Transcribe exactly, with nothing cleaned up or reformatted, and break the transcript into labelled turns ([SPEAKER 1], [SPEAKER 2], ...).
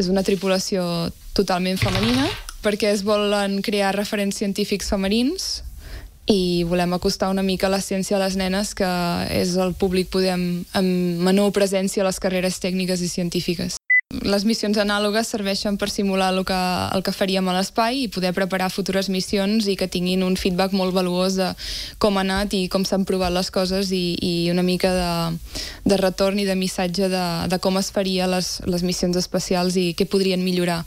[SPEAKER 1] És una tripulació totalment femenina perquè es volen crear referents científics femenins i volem acostar una mica la ciència a les nenes, que és el públic poder amb, amb menor presència a les carreres tècniques i científiques. Les missions anàlogues serveixen per simular el que, el que faríem a l'espai i poder preparar futures missions i que tinguin un feedback molt valuós de com ha anat i com s'han provat les coses i, i una mica de, de retorn i de missatge de, de com es faria les, les missions espacials i què podrien millorar.